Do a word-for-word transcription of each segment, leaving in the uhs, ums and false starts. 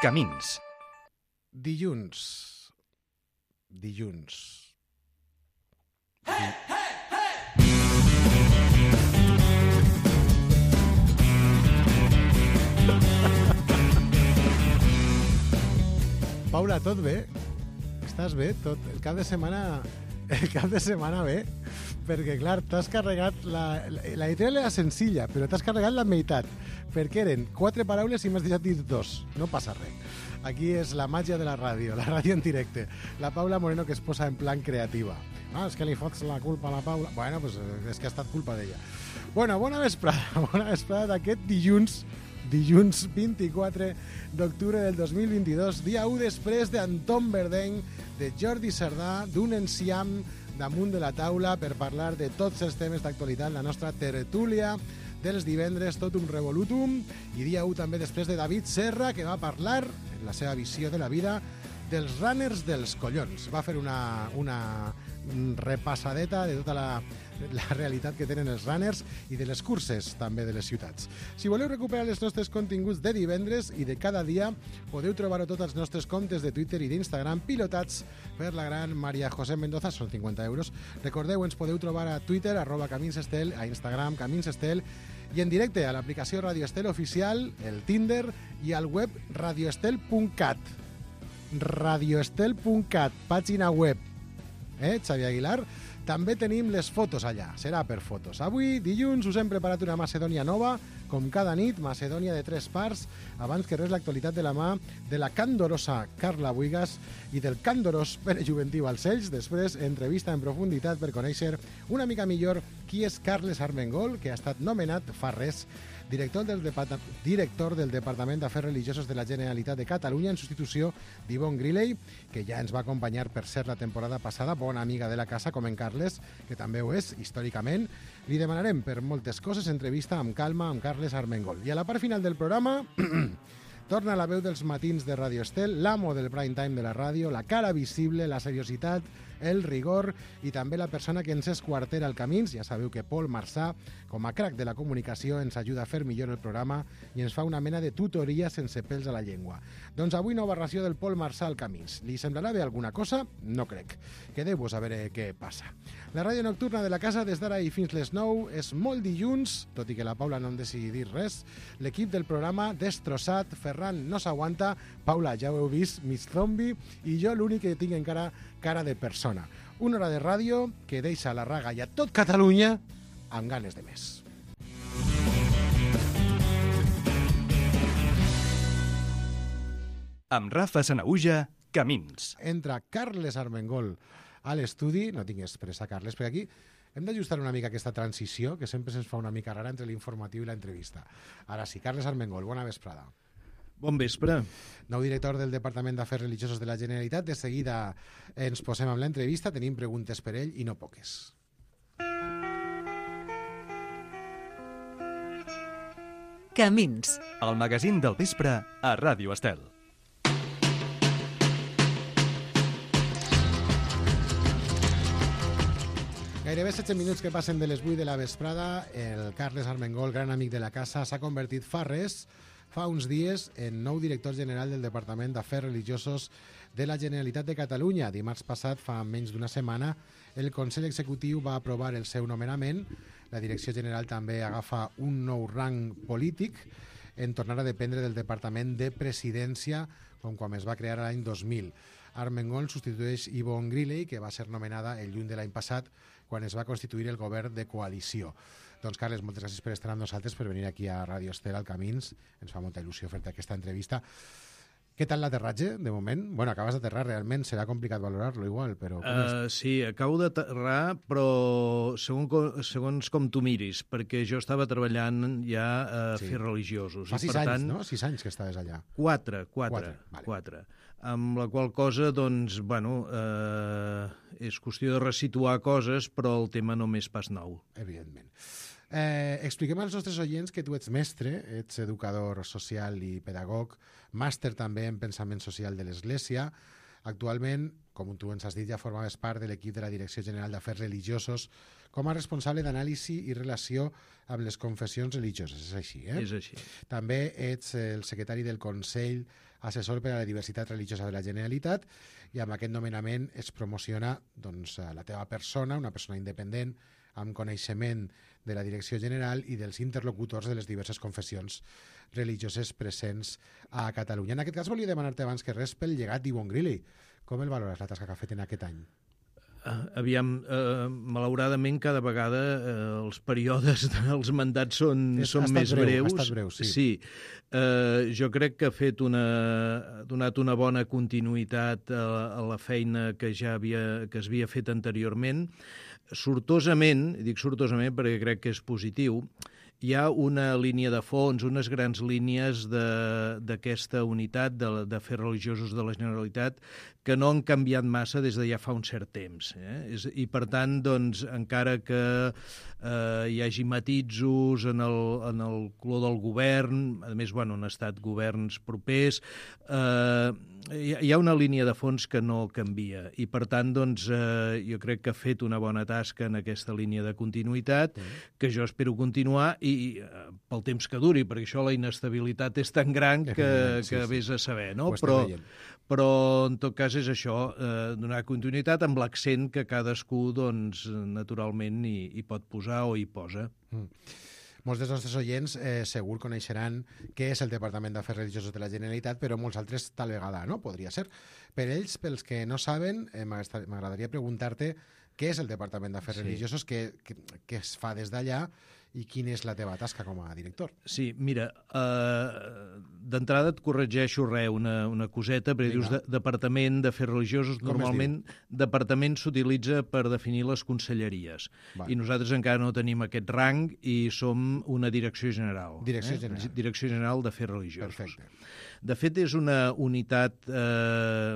Camins. Dilluns. Dilluns. Di... Paula, tot bé? Estàs bé? Tot... El cap de setmana... El cap de setmana bé? Perquè, clar, t'has carregat... La, la editorial era senzilla, però t'has carregat la meitat. Perquè eren quatre paraules i m'has deixat dir dos. No passa res. Aquí és la màgia de la ràdio, la ràdio en directe. La Paula Moreno, que es posa en plan creativa. Ah, és que li fots la culpa a la Paula. Bueno, pues és que ha estat culpa d'ella. Bueno, bona vesprada. Bona vesprada d'aquest dilluns... Dilluns vint-i-quatre d'octubre del dos mil vint-i-dos, dia u després d'Anton Verdeny, de Jordi Cerdà, d'un enciam damunt de la taula per parlar de tots els temes d'actualitat, la nostra tertúlia dels divendres, tot un revolutum, i dia u també després de David Serra, que va parlar, en la seva visió de la vida, dels runners dels collons. Va fer una, una repassadeta de tota la, la realitat que tenen els runners i de les curses també de les ciutats. Si voleu recuperar els nostres continguts de divendres i de cada dia, podeu trobar-ho tots els nostres comptes de Twitter i d'Instagram pilotats per la gran Maria José Mendoza, són cinquanta euros. Recordeu, ens podeu trobar a Twitter, arroba Camins Estel, a Instagram, Camins Estel, i en directe a l'aplicació Radio Estel Oficial, el Tinder i al web radioestel punt cat. radioestel punt cat, pàgina web. Eh, Xavi Aguilar? També tenim les fotos allà, serà per fotos. Avui, dilluns, us hem preparat una Macedònia nova, com cada nit, Macedònia de tres parts, abans que res l'actualitat de la mà de la candorosa Carla Buigas i del candorós Pere Juventiu als Ells. Després, entrevista en profunditat per conèixer una mica millor qui és Carles Armengol, que ha estat nomenat fa res director del, Depart director del Departament d'Afers Religiosos de la Generalitat de Catalunya en substitució d'Yvonne Griley, que ja ens va acompanyar per ser la temporada passada, bona amiga de la casa com en Carles, que també ho és històricament. Li demanarem per moltes coses entrevista amb calma amb Carles Armengol. I a la part final del programa torna la veu dels matins de Radio Estel, l'amo del prime time de la ràdio, la cara visible, la seriositat, el rigor i també la persona que ens esquartera el Camins. Ja sabeu que Pol Marçà, com a crac de la comunicació, ens ajuda a fer millor el programa i ens fa una mena de tutoria sense pèls a la llengua. Doncs avui nova ració del Pol Marçà al Camins. Li semblarà bé alguna cosa? No crec. Quedeu-vos a veure què passa. La ràdio nocturna de la casa des d'ara i fins les nou és molt dilluns, tot i que la Paula no en decidi dir res. L'equip del programa destrossat, Ferran no s'aguanta, Paula ja ho heu vist, mig zombi, i jo l'únic que tinc encara cara de persona. Una hora de ràdio que deixa la raga i a tot Catalunya amb ganes de més. Amb Rafa Sanaüja, Camins. Entra Carles Armengol a l'estudi, no tinc expressa Carles, perquè aquí hem d'ajustar una mica aquesta transició, que sempre se'ns fa una mica rara entre l'informatiu i l'entrevista. Ara sí, Carles Armengol, bona vesprada. Bon vespre. Nou director del Departament d'Afers Religiosos de la Generalitat. De seguida ens posem amb l'entrevista. Tenim preguntes per ell i no poques. Camins. El magazín del vespre a Ràdio Estel. Gairebé setze minuts que passen de les vuit de la vesprada. El Carles Armengol, gran amic de la casa, s'ha convertit fa res fa uns dies en nou director general del Departament d'Afers Religiosos de la Generalitat de Catalunya. Dimarts passat, fa menys d'una setmana, el Consell Executiu va aprovar el seu nomenament. La Direcció General també agafa un nou rang polític en tornar a dependre del Departament de Presidència, com quan es va crear l'any dos mil. Armengol substitueix Yvonne Griley, que va ser nomenada el juny de l'any passat, quan es va constituir el govern de coalició. Doncs, Carles, moltes gràcies per estar amb nosaltres, per venir aquí a Radio Estel, al Camins. Ens fa molta il·lusió fer-te aquesta entrevista. Què tal l'aterratge, de moment? Bueno, acabes d'aterrar, realment serà complicat valorar-lo igual, però... Uh, sí, acabo d'aterrar, però segons, segons com tu miris, perquè jo estava treballant ja a sí. Fets religiosos. Fa sis per anys, tant, no? Sis anys que estaves allà. Quatre, quatre, quatre. Vale. quatre. Amb la qual cosa, doncs, bueno, eh, és qüestió de resituar coses, però el tema no m'és pas nou. Evidentment. Eh, expliquem als nostres oients que tu ets mestre, ets educador social i pedagog, màster també en pensament social de l'Església, Actualment, com tu ens has dit, ja formaves part de l'equip de la Direcció General d'Afers Religiosos com a responsable d'anàlisi i relació amb les confessions religioses. És així, eh? És així. També ets el secretari del Consell Assessor per a la Diversitat Religiosa de la Generalitat i amb aquest nomenament es promociona doncs, la teva persona, una persona independent, amb coneixement de la Direcció General i dels interlocutors de les diverses confessions religioses presents a Catalunya. En aquest cas volia demanar-te abans que res pel llegat d'Yvonne Griley. Com el valores la tasca que ha fet en aquest any? Uh, aviam, uh, malauradament cada vegada uh, els períodes dels mandats són, És, són més breu, breus. Ha estat breu, sí. sí. Uh, jo crec que ha fet una, ha donat una bona continuïtat a, a la feina que ja havia, que es havia fet anteriorment. Sortosament, dic sortosament perquè crec que és positiu, hi ha una línia de fons, unes grans línies d'aquesta unitat d'afers religiosos de la Generalitat que no han canviat massa des de ja fa un cert temps. Eh? És, I, per tant, doncs, encara que eh, hi hagi matisos en el, en el color del govern, a més, bueno, han estat governs propers, eh, hi, hi ha una línia de fons que no canvia. I, per tant, doncs, eh, jo crec que ha fet una bona tasca en aquesta línia de continuïtat, mm. que jo espero continuar, i eh, pel temps que duri, perquè això la inestabilitat és tan gran que, sí, que sí. vés a saber, no? Però, però, en tot cas, és això, eh, donar continuïtat amb l'accent que cadascú, doncs, naturalment hi, hi pot posar o hi posa. Mm. Molts dels nostres oients eh, segur coneixeran què és el Departament d'Afers Religiosos de la Generalitat, però molts altres tal vegada no, podria ser. Per ells, pels que no saben, eh, m'agradaria preguntar-te què és el Departament d'Afers sí. Religiosos, què, què, què es fa des d'allà i quina és la teva tasca com a director. Sí, mira, eh, d'entrada et corregeixo res, una, una coseta, perquè Vinga. dius de, Departament d'Afers Religiosos, com normalment departament s'utilitza per definir les conselleries. Va. I nosaltres encara no tenim aquest rang i som una direcció general. Direcció eh? general. Direcció General d'Afers Religiosos. Perfecte. De fet, és una unitat, eh,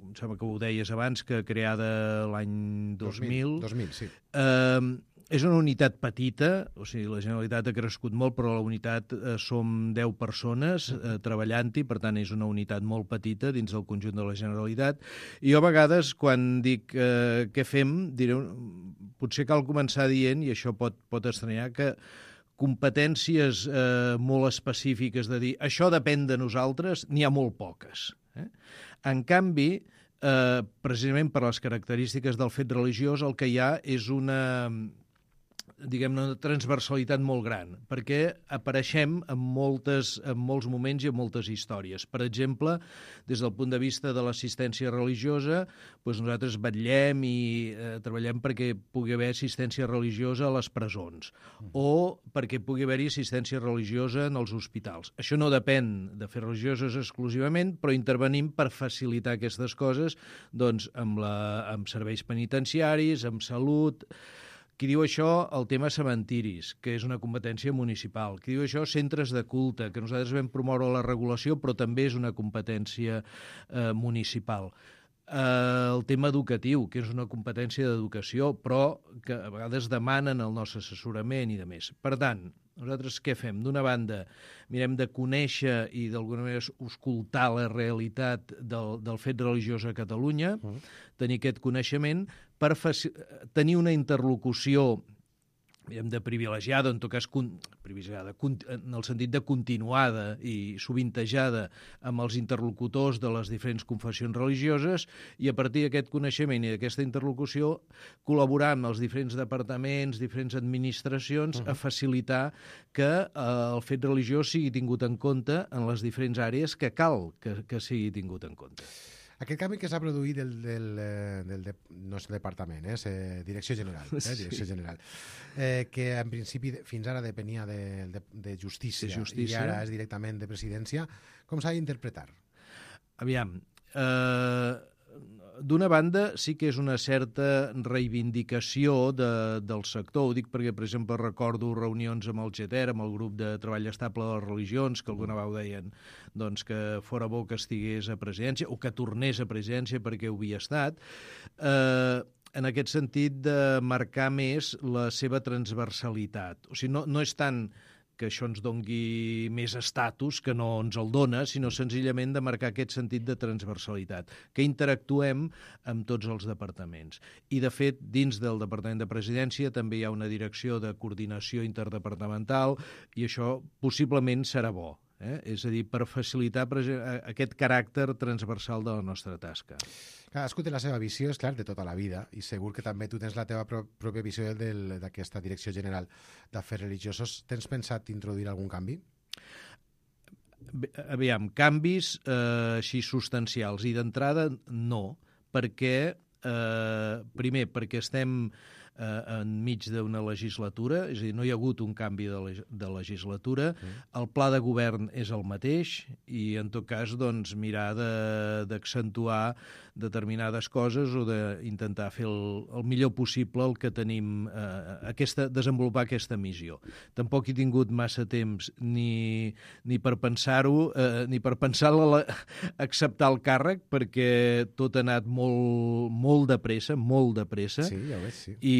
em sembla que ho deies abans, que creada l'any dos mil. dos mil, sí. Eh, És una unitat petita, o sigui, la Generalitat ha crescut molt, però la unitat eh, som deu persones eh, treballant-hi, per tant és una unitat molt petita dins del conjunt de la Generalitat. I jo a vegades, quan dic eh, què fem, diré, potser cal començar dient, i això pot, pot estranyar, que competències eh, molt específiques de dir això depèn de nosaltres, n'hi ha molt poques. Eh? En canvi, eh, precisament per les característiques del fet religiós, el que hi ha és una... diguem-ne, una transversalitat molt gran, perquè apareixem en, moltes, en molts moments i en moltes històries. Per exemple, des del punt de vista de l'assistència religiosa, doncs nosaltres vetllem i eh, treballem perquè pugui haver assistència religiosa a les presons o perquè pugui haver-hi assistència religiosa en els hospitals. Això no depèn de fer religiosos exclusivament, però intervenim per facilitar aquestes coses doncs, amb, la, amb serveis penitenciaris, amb salut... Qui diu això, el tema cementiris, que és una competència municipal. Qui diu això, centres de culte, que nosaltres vam promoure la regulació, però també és una competència eh, municipal. Eh, el tema educatiu, que és una competència d'educació, però que a vegades demanen el nostre assessorament i de més. Per tant, nosaltres què fem? D'una banda, mirem de conèixer i d'alguna manera escoltar la realitat del, del fet religiós a Catalunya, uh. tenir aquest coneixement per tenir una interlocució diguem, de privilegiada, en tot cas privilegiada, en el sentit de continuada i sovintejada amb els interlocutors de les diferents confessions religioses i a partir d'aquest coneixement i d'aquesta interlocució col·laborar amb els diferents departaments, diferents administracions uh-huh. a facilitar que eh, el fet religiós sigui tingut en compte en les diferents àrees que cal que, que sigui tingut en compte. Aquest canvi que s'ha produït del, del, del, del no és departament, és eh, Direcció General, eh, Direcció sí. General, eh, que en principi fins ara depenia de, de, de, justícia, de justícia i ara és directament de presidència, com s'ha d'interpretar? Aviam, eh, d'una banda sí que és una certa reivindicació de, del sector, ho dic perquè, per exemple, recordo reunions amb el G T E R, amb el grup de treball estable de les religions, que alguna vegada deien doncs, que fora bo que estigués a presidència o que tornés a presidència perquè ho havia estat, eh, en aquest sentit de marcar més la seva transversalitat. O sigui, no, no és tant que això ens dongui més estatus, que no ens el dona, sinó senzillament de marcar aquest sentit de transversalitat, que interactuem amb tots els departaments. I, de fet, dins del Departament de Presidència també hi ha una direcció de coordinació interdepartamental i això possiblement serà bo. Eh? És a dir, per facilitar aquest caràcter transversal de la nostra tasca. Cadascú té la seva visió, és clar, de tota la vida, i segur que també tu tens la teva pro pròpia visió d'aquesta Direcció General d'Afers Religiosos. Tens pensat introduir algun canvi? Aviam, canvis eh, així substancials. I d'entrada, no, perquè, eh, primer, perquè estem eh, enmig d'una legislatura, és a dir, no hi ha hagut un canvi de, leg de legislatura, mm. el pla de govern és el mateix i, en tot cas, doncs, mirar d'accentuar determinades coses o d'intentar fer el, el millor possible el que tenim, eh, aquesta, desenvolupar aquesta missió. Tampoc he tingut massa temps ni, ni per pensar-ho, eh, ni per pensar la, acceptar el càrrec, perquè tot ha anat molt, molt de pressa, molt de pressa. Sí, ja ho veig, sí. I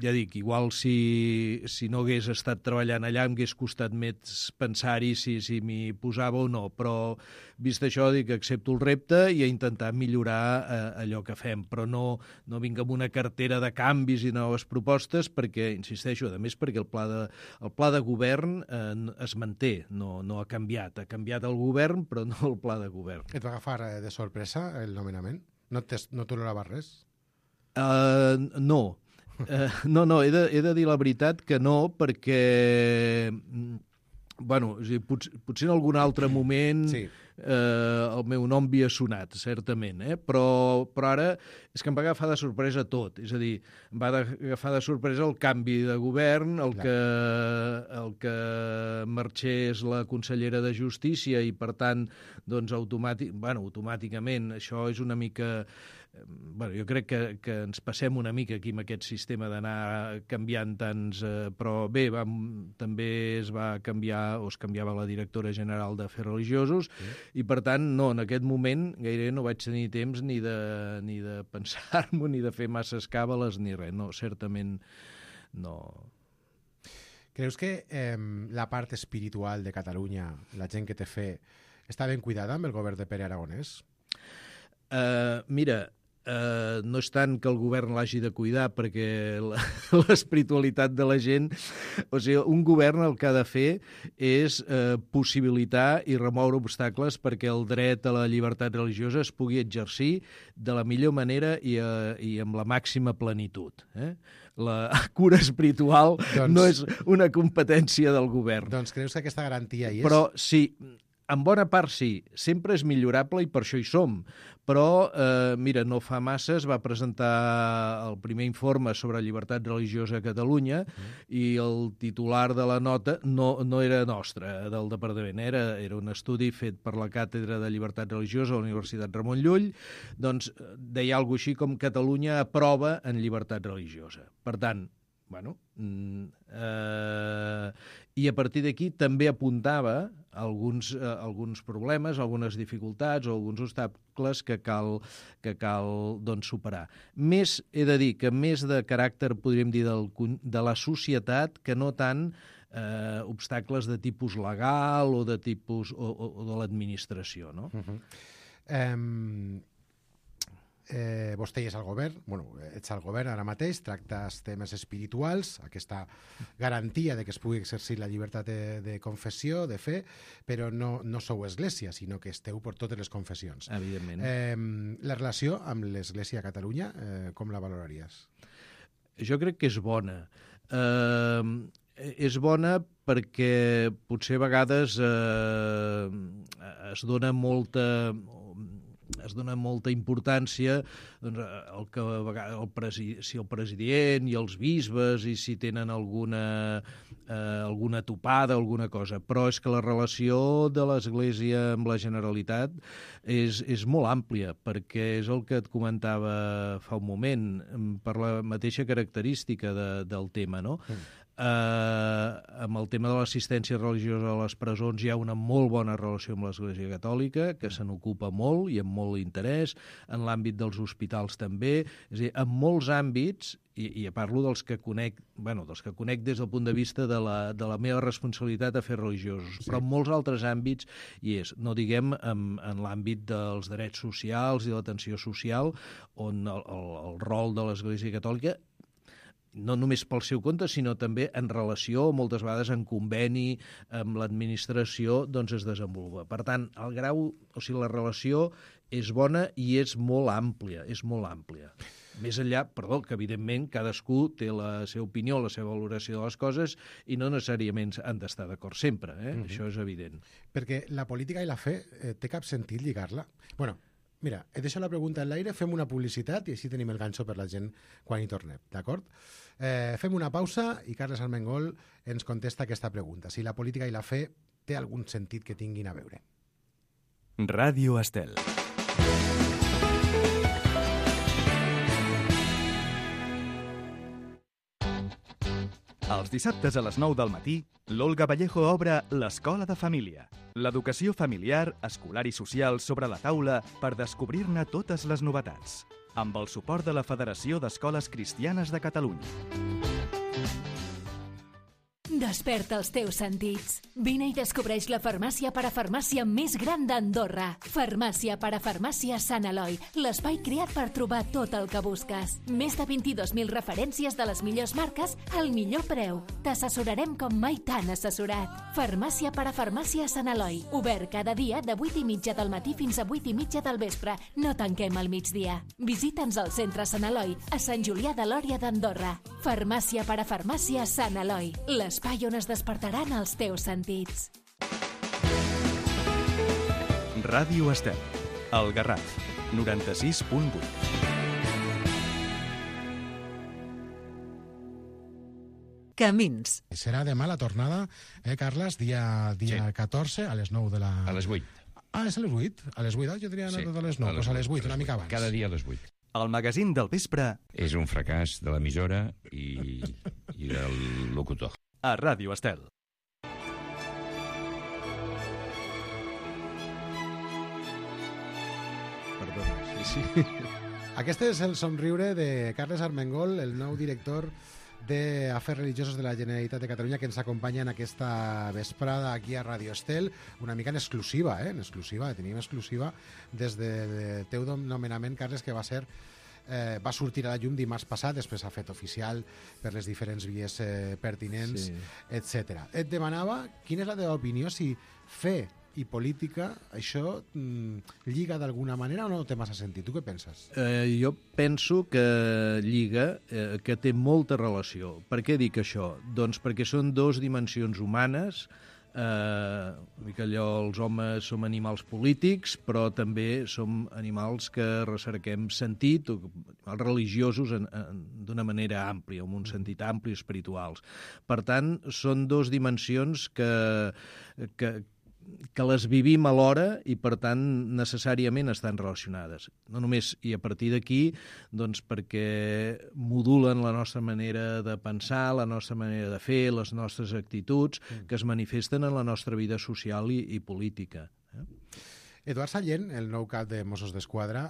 ja dic, igual si, si no hagués estat treballant allà em hagués costat més pensar-hi si, si m'hi posava o no, però vist això dic que accepto el repte i a intentar millorar eh, allò que fem, però no, no vinc amb una cartera de canvis i noves propostes perquè, insisteixo, a més perquè el pla de, el pla de govern eh, es manté, no, no ha canviat, ha canviat el govern però no el pla de govern. Et va agafar de sorpresa el nomenament? No t'olorava res? Uh, no. Uh, no, no, he de, he de dir la veritat que no, perquè bueno, o sigui, pot, potser en algun altre moment sí. eh, el meu nom havia sonat, certament, eh? però, però ara és que em va agafar de sorpresa tot, és a dir, em va agafar de sorpresa el canvi de govern, el que, el que marxés la consellera de Justícia i, per tant, doncs, automàtic, bueno, automàticament això és una mica... Bueno, jo crec que, que ens passem una mica aquí amb aquest sistema d'anar canviant tants... Eh, però bé, vam, també es va canviar, o es canviava la directora general d'Afers Religiosos, sí. I per tant, no, en aquest moment gairebé no vaig tenir temps ni de, ni de pensar-m'ho, ni de fer masses càbales, ni res. No, certament no... Creus que eh, la part espiritual de Catalunya, la gent que té fe, està ben cuidada amb el govern de Pere Aragonès? Uh, mira... Uh, no és tant que el govern l'hagi de cuidar perquè l'espiritualitat de la gent, o sigui, un govern el que ha de fer és uh, possibilitar i remoure obstacles perquè el dret a la llibertat religiosa es pugui exercir de la millor manera i, uh, i amb la màxima plenitud. Eh? La cura espiritual doncs, no és una competència del govern. Doncs creus que aquesta garantia hi és? Però sí, en bona part sí, sempre és millorable i per això hi som, però, eh, mira, no fa massa es va presentar el primer informe sobre llibertat religiosa a Catalunya mm. i el titular de la nota no, no era nostre, del departament, era, era un estudi fet per la Càtedra de Llibertat Religiosa a la Universitat Ramon Llull, doncs deia alguna cosa així com Catalunya aprova en llibertat religiosa. Per tant, bueno, eh, i a partir d'aquí també apuntava alguns, eh, alguns problemes, algunes dificultats o alguns obstacles que cal, que cal doncs, superar. Més, he de dir, que més de caràcter, podríem dir, del, de la societat que no tant eh, obstacles de tipus legal o de tipus o, o, o de l'administració, no? Uh-huh. um... Eh, vostè és al govern, bueno, ets al govern ara mateix, tractes temes espirituals, aquesta garantia de que es pugui exercir la llibertat de, de confessió, de fe, però no, no sou església, sinó que esteu per totes les confessions. Evidentment. Eh, la relació amb l'església a Catalunya, eh, com la valoraries? Jo crec que és bona. Eh, és bona perquè potser a vegades eh, es dona molta... es dona molta importància doncs, el que el presi, si el president i els bisbes i si tenen alguna, eh, alguna topada, alguna cosa, però és que la relació de l'Església amb la Generalitat és, és molt àmplia, perquè és el que et comentava fa un moment, per la mateixa característica de, del tema, no? Mm. Eh, amb el tema de l'assistència religiosa a les presons hi ha una molt bona relació amb l'Església Catòlica, que se n'ocupa molt i amb molt interès, en l'àmbit dels hospitals també, és a dir, en molts àmbits, i, i parlo dels que conec, bueno, dels que conec des del punt de vista de la, de la meva responsabilitat a fer religiosos, sí. Però en molts altres àmbits hi és, no diguem en, en l'àmbit dels drets socials i de l'atenció social, on el, el, el rol de l'Església Catòlica no només pel seu compte, sinó també en relació, moltes vegades en conveni amb l'administració, doncs es desenvolupa. Per tant, el grau, o sigui, la relació és bona i és molt àmplia, és molt àmplia. Més enllà, perdó, que evidentment cadascú té la seva opinió, la seva valoració de les coses i no necessàriament han d'estar d'acord sempre, eh? Mm-hmm. Això és evident. Perquè la política i la fe eh, té cap sentit lligar-la? Bueno, mira, he deixat la pregunta en l'aire, fem una publicitat i així tenim el ganxo per la gent quan hi tornem, d'acord? Eh, fem una pausa i Carles Armengol ens contesta aquesta pregunta. Si la política i la fe té algun sentit que tinguin a veure. Ràdio Estel. Els dissabtes a les nou del matí, l'Olga Vallejo obre l'Escola de Família. L'educació familiar, escolar i social sobre la taula per descobrir-ne totes les novetats. Amb el suport de la Federació d'Escoles Cristianes de Catalunya. Desperta els teus sentits. Vine i descobreix la farmàcia parafarmàcia més gran d'Andorra. Farmàcia parafarmàcia Sant Eloi, l'espai creat per trobar tot el que busques. Més de vint-i-dos mil referències de les millors marques al millor preu. T'assessorarem com mai t'han assessorat. Farmàcia parafarmàcia Sant Eloi, obert cada dia de vuit i mitja del matí fins a vuit i mitja del vespre. No tanquem al migdia. Visita'ns al centre Sant Eloi, a Sant Julià de Lòria d'Andorra. Farmàcia parafarmàcia Sant Eloi, l'espai on es despertaran els teus sentits. Ràdio Estel, el Garraf, noranta-sis punt vuit. Camins. Serà demà la tornada, eh, Carles? Dia, dia Sí. catorze, a les nou de la... A les vuit. Ah, és a les vuit? A les vuit, ah, jo tenia anat Sí, a les nou. Doncs a les vuit, una mica abans. Cada dia a les vuit. El magazín del vespre És un fracàs de l'emissora i, i del locutor. a Ràdio Estel. Perdona, sí, sí. Aquest és el somriure de Carles Armengol, el nou director d'Afers Religiosos de la Generalitat de Catalunya, que ens acompanya en aquesta vesprada aquí a Ràdio Estel, una mica en exclusiva, eh? en exclusiva, tenim exclusiva des del teu nomenament, Carles, que va ser eh, va sortir a la llum dimarts passat, després s'ha fet oficial per les diferents vies eh, pertinents, Sí. etcètera. Et demanava quina és la teva opinió, si fe i política, això mm, lliga d'alguna manera o no té massa sentit? Tu què penses? Eh, jo penso que lliga, eh, que té molta relació. Per què dic això? Doncs perquè són dos dimensions humanes, eh, una mica allò, els homes som animals polítics, però també som animals que recerquem sentit, o animals religiosos en, en, d'una manera àmplia, amb un sentit ampli, espirituals. Per tant, són dos dimensions que, que, que les vivim alhora i, per tant, necessàriament estan relacionades. No només, i a partir d'aquí, doncs perquè modulen la nostra manera de pensar, la nostra manera de fer, les nostres actituds, que es manifesten en la nostra vida social i, i política. Eh? Eduard Sallent, el nou cap de Mossos d'Esquadra,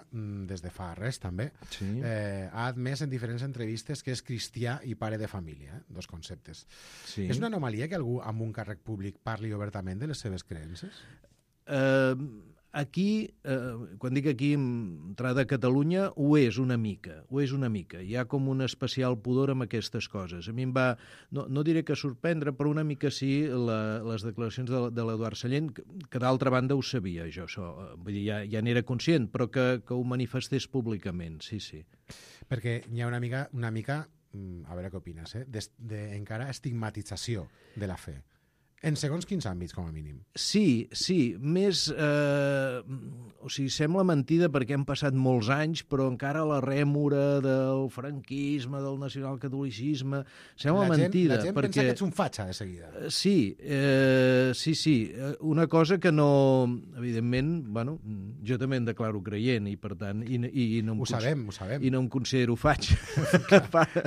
des de fa res també, Sí. eh, ha admès en diferents entrevistes que és cristià i pare de família, eh? Dos conceptes. Sí. És una anomalia que algú amb un càrrec públic parli obertament de les seves creences? Eh, aquí, eh, quan dic aquí, entrada a Catalunya, ho és una mica, ho és una mica. Hi ha com un especial pudor amb aquestes coses. A mi em va, no, no diré que sorprendre, però una mica sí, la, les declaracions de, de l'Eduard Sallent, que, que d'altra banda ho sabia, jo, això. Vull dir, ja, ja n'era conscient, però que, que ho manifestés públicament, sí, sí. Perquè hi ha una mica, una mica a veure què opines, eh? de, de, encara estigmatització de la fe. En segons quins àmbits, com a mínim. Sí, sí, més... Eh, o sigui, sembla mentida perquè han passat molts anys, però encara la rèmora del franquisme, del nacionalcatolicisme, sembla la gent, mentida. La gent perquè... pensa que ets un fatxa, de seguida. Sí, eh, sí, sí. Una cosa que no... Evidentment, bueno, jo també em declaro creient i, per tant, i, i, i no em Ho sabem, ho sabem. I no em considero faig.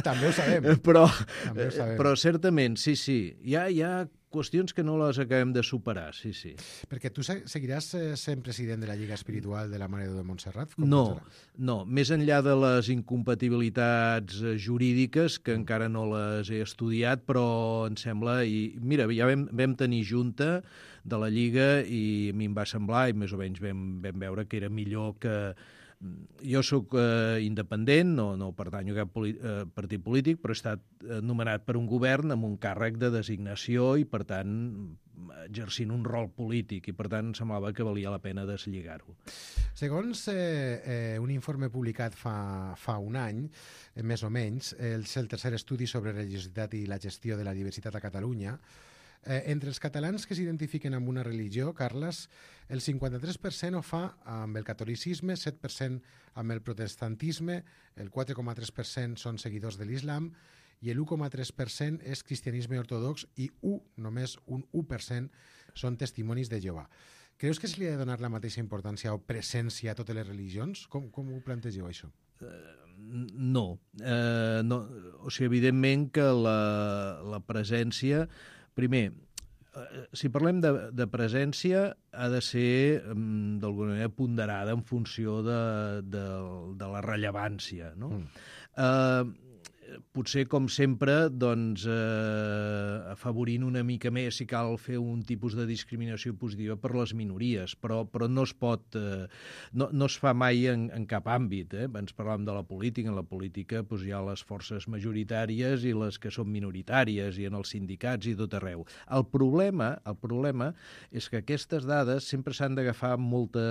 També ho sabem. Però, També ho sabem. però certament, sí, sí. Hi ha, hi ha qüestions que no les acabem de superar, sí, sí. Perquè tu seguiràs sent president de la Lliga Espiritual de la Mare de Déu de Montserrat? Com No, serà? no. Més enllà de les incompatibilitats jurídiques, que encara no les he estudiat, però em sembla... I mira, ja vam, vam tenir junta de la Lliga i a mi em va semblar, i més o menys vam, vam veure que era millor que... Jo sóc eh, independent, no, no pertanyo a cap poli eh, partit polític, però he estat nomenat per un govern amb un càrrec de designació i, per tant, exercint un rol polític, i, per tant, semblava que valia la pena deslligar-ho. Segons eh, eh, un informe publicat fa, fa un any, eh, més o menys, és el tercer estudi sobre religiositat i la gestió de la diversitat a Catalunya, Eh, entre els catalans que s'identifiquen amb una religió, Carles, el cinquanta-tres per cent ho fa amb el catolicisme, set per cent amb el protestantisme, el quatre coma tres per cent són seguidors de l'islam i l'u coma tres per cent és cristianisme ortodox i u, només un u per cent són testimonis de Jehovà. Creus que se li ha de donar la mateixa importància o presència a totes les religions? Com, com ho plantegeu, això? No. Eh, no. O sigui, evidentment que la, la presència... Primer, si parlem de, de presència, ha de ser, d'alguna manera, ponderada en funció de, de, de la rellevància, no? Mm. Eh, potser, com sempre, doncs, eh, afavorint una mica més si cal fer un tipus de discriminació positiva per les minories, però, però no es pot... Eh, no, no es fa mai en, en cap àmbit. Eh? Abans parlàvem de la política. En la política doncs, hi ha les forces majoritàries i les que són minoritàries, i en els sindicats i tot arreu. El problema, el problema és que aquestes dades sempre s'han d'agafar amb molta,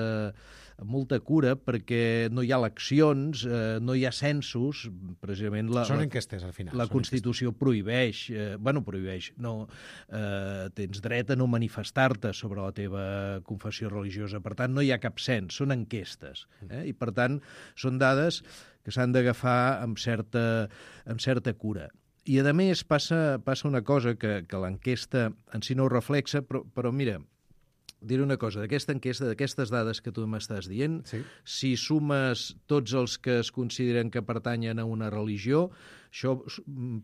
amb molta cura, perquè no hi ha eleccions, eh, no hi ha censos, precisament la... Són enquestes, al final. La Constitució enquestes. prohibeix, eh, bueno, prohibeix, no, eh, tens dret a no manifestar-te sobre la teva confessió religiosa, per tant, no hi ha cap cens, són enquestes, eh? I per tant, són dades que s'han d'agafar amb certa, amb certa cura. I, a més, passa, passa una cosa que, que l'enquesta en si no ho reflexa, però, però mira, diré una cosa, d'aquesta enquesta, d'aquestes dades que tu m'estàs dient, sí. Si sumes tots els que es consideren que pertanyen a una religió, això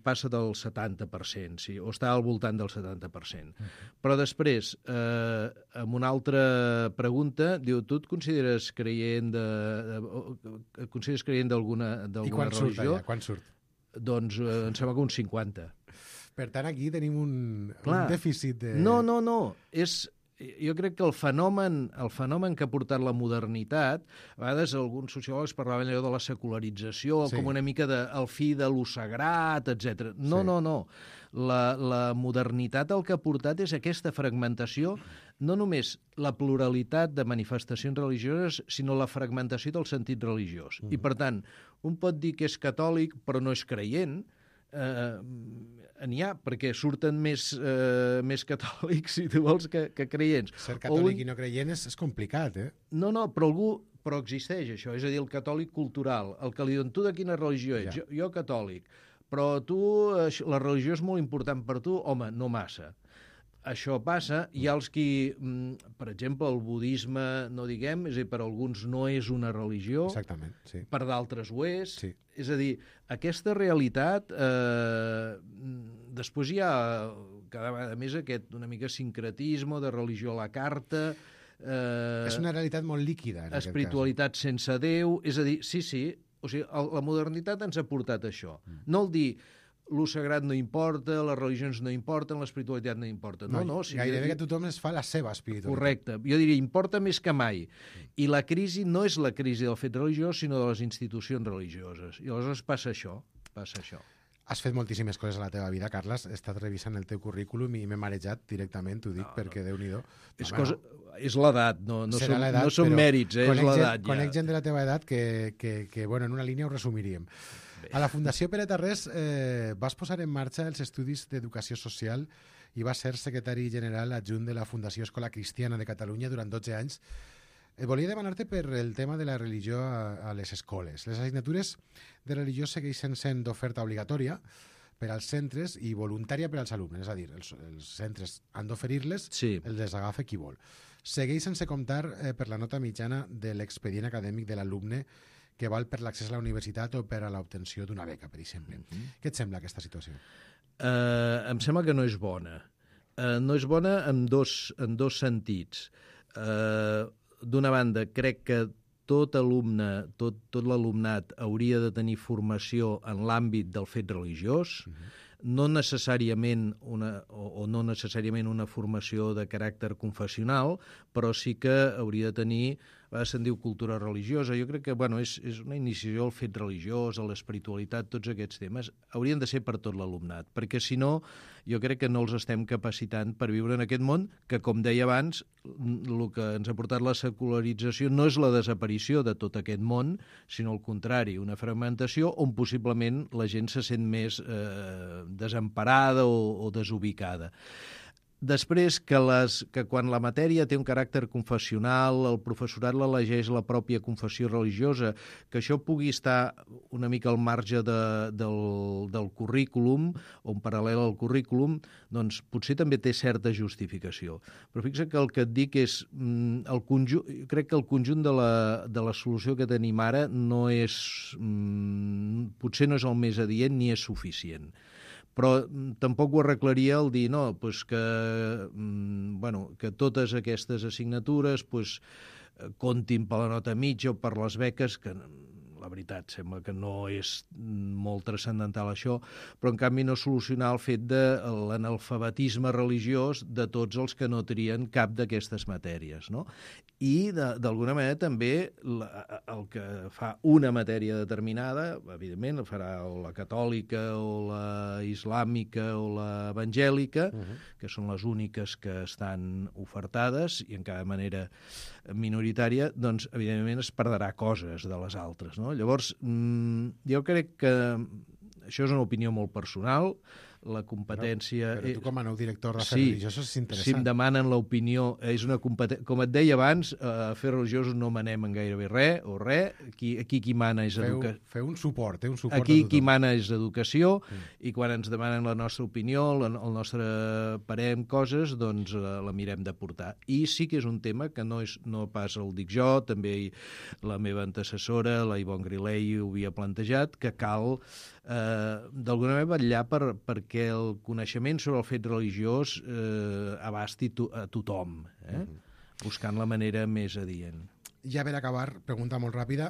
passa del setanta per cent, sí, o està al voltant del setanta per cent. Uh-huh. Però després, eh, amb una altra pregunta, diu, tu et consideres creient de, de, et consideres creient d'alguna religió? I quan surt allà? Quan surt? Doncs eh, em sembla que un cinquanta. Per tant, aquí tenim un, un dèficit de... No, no, no, és... Jo crec que el fenomen, el fenomen que ha portat la modernitat, a vegades alguns sociòlegs parlaven allò de la secularització, sí. Com una mica de, el fi de lo sagrat, etcètera. No, sí. no, no. La, la modernitat el que ha portat és aquesta fragmentació, no només la pluralitat de manifestacions religioses, sinó la fragmentació del sentit religiós. Mm. I, per tant, un pot dir que és catòlic però no és creient, eh, n'hi ha, perquè surten més, eh, més catòlics, si tu vols, que, que creients. Ser catòlic un... i no creient és, és complicat, eh? No, no, però algú... Però existeix això, és a dir, el catòlic cultural, el que li diuen, tu de quina religió ets? Ja. Jo, jo catòlic, però tu, la religió és molt important per tu? Home, no massa. Això passa, hi ha els qui, per exemple, el budisme, no diguem, és a dir, per alguns no és una religió, exactament, sí. Per d'altres ho és, sí. És a dir, aquesta realitat, eh, després hi ha cada vegada més aquest una mica sincretisme de religió a la carta, eh, és una realitat molt líquida, en espiritualitat sense Déu, és a dir, sí, sí, o sigui, la modernitat ens ha portat això, mm. no el dir... Lo sagrat no importa, les religions no importen, l'espiritualitat no importa. No, no, no si gairebé jo... que tothom es fa la seva espiritualitat. Correcte. Jo diria, importa més que mai. I la crisi no és la crisi del fet religiós, sinó de les institucions religioses. I aleshores passa això, passa això. Has fet moltíssimes coses a la teva vida, Carles. He estat revisant el teu currículum i m'he marejat directament, t'ho dic, no, perquè no. Déu-n'hi-do. És, cosa... és l'edat, no, no, som, no són mèrits, eh? És l'edat. Ja. Conec gent de la teva edat que, que, que, bueno, en una línia ho resumiríem. A la Fundació Pere Tarrés eh, vas posar en marxa els estudis d'educació social i vas ser secretari general adjunt de la Fundació Escola Cristiana de Catalunya durant dotze anys. volia demanar-te per el tema de la religió a, a les escoles. Les assignatures de religió segueixen sent d'oferta obligatòria per als centres i voluntària per als alumnes. És a dir, els, els centres han d'oferir-les, Sí. els desagafa qui vol. Segueix sense comptar eh, per la nota mitjana de l'expedient acadèmic de l'alumne que val per l'accés a la universitat o per a l'obtenció d'una beca, per exemple. Mm-hmm. Què et sembla aquesta situació? Uh, em sembla que no és bona. Uh, no és bona en dos, en dos sentits. Uh, D'una banda, crec que tot alumne, tot, tot l'alumnat hauria de tenir formació en l'àmbit del fet religiós, uh-huh. no necessàriament una, o, o no necessàriament una formació de caràcter confessional, però sí que hauria de tenir, a vegades se'n diu cultura religiosa, jo crec que bueno, és, és una iniciació al fet religiós, a l'espiritualitat, tots aquests temes, haurien de ser per tot l'alumnat, perquè si no, jo crec que no els estem capacitant per viure en aquest món, que com deia abans, el que ens ha portat la secularització no és la desaparició de tot aquest món, sinó al contrari, una fragmentació on possiblement la gent se sent més eh, desemparada o, o desubicada. Després, que, les, que quan la matèria té un caràcter confessional, el professorat l'elegeix la pròpia confessió religiosa, que això pugui estar una mica al marge de, del, del currículum, o en paral·lel al currículum, doncs potser també té certa justificació. Però fixa que el que et dic és, el conjunt, crec que el conjunt de la, de la solució que tenim ara no és, potser no és el més adient ni és suficient. Però tampoc ho arreglaria el dir no, pues que, bueno, que totes aquestes assignatures pues, comptin per la nota mitja o per les beques, que la veritat sembla que no és molt transcendental això, però en canvi no solucionar el fet de l'analfabetisme religiós de tots els que no trien cap d'aquestes matèries, no? I d'alguna manera també la, el que fa una matèria determinada, evidentment el farà o la catòlica o la islàmica o l'evangèlica, uh-huh. que són les úniques que estan ofertades i en cada manera minoritària, doncs evidentment es perdrà coses de les altres, no? Llavors, jo crec que això és una opinió molt personal, la competència... Però, però tu com a nou director d'Afers sí, Religiosos és interessant. Si em demanen l'opinió, és una competència... Com et deia abans, a Afers Religiosos no manem en gairebé res, o res. Aquí, aquí qui mana és educació. Feu, feu un suport, eh? Un suport aquí qui mana és educació, mm. i quan ens demanen la nostra opinió, la, el nostre parer en coses, doncs la, la mirem de portar. I sí que és un tema que no, és, no pas el dic jo, també la meva antecessora, la Ivonne Grilei, ho havia plantejat, que cal eh, d'alguna manera vetllar per, perquè que el coneixement sobre el fet religiós eh, abasti to a tothom, eh? Mm-hmm. Buscant la manera més adient. Ja per acabar, pregunta molt ràpida.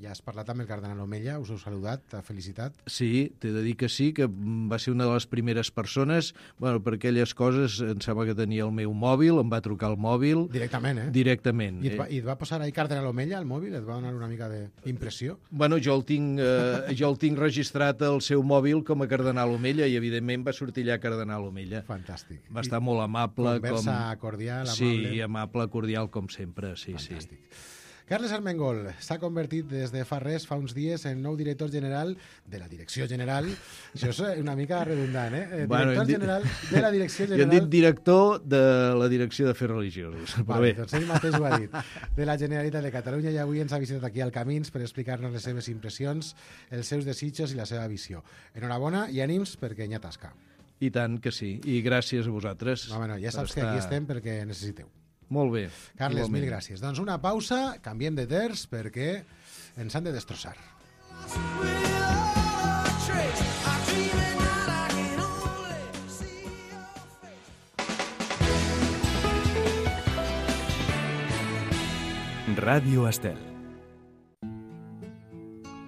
Ja has parlat amb el cardenal Omella, us heu saludat, t'ha felicitat. Sí, t'he de dir que sí, que va ser una de les primeres persones, bueno, per aquelles coses, em sembla que tenia el meu mòbil, em va trucar el mòbil... Directament, eh? Directament. I et va, i et va posar ahí cardenal Omella al mòbil? Et va donar una mica d'impressió? Bueno, jo el, tinc, eh, jo el tinc registrat al seu mòbil com a cardenal Omella i, evidentment, va sortir allà cardenal Omella. Fantàstic. Va estar molt amable. Conversa com... cordial, amable. Sí, amable, cordial, com sempre, sí, Fantàstic. Sí. Carles Armengol s'ha convertit des de fa res, fa uns dies, en nou director general de la Direcció General. Això és una mica redundant, eh? Director bueno, general de la Direcció General... Jo he dit director de la Direcció d'Afers Religiosos. Vale, doncs ell mateix ho ha dit. De la Generalitat de Catalunya, i avui ens ha visitat aquí al Camins per explicar-nos les seves impressions, els seus desitjos i la seva visió. Enhorabona i ànims perquè n'hi ha tasca. I tant que sí. I gràcies a vosaltres. No, bueno, ja saps que aquí estem perquè necessiteu. Molt bé. Carles, igualment. mil gràcies. Doncs una pausa, canviem de terç perquè ens han de destrossar. Ràdio Estel.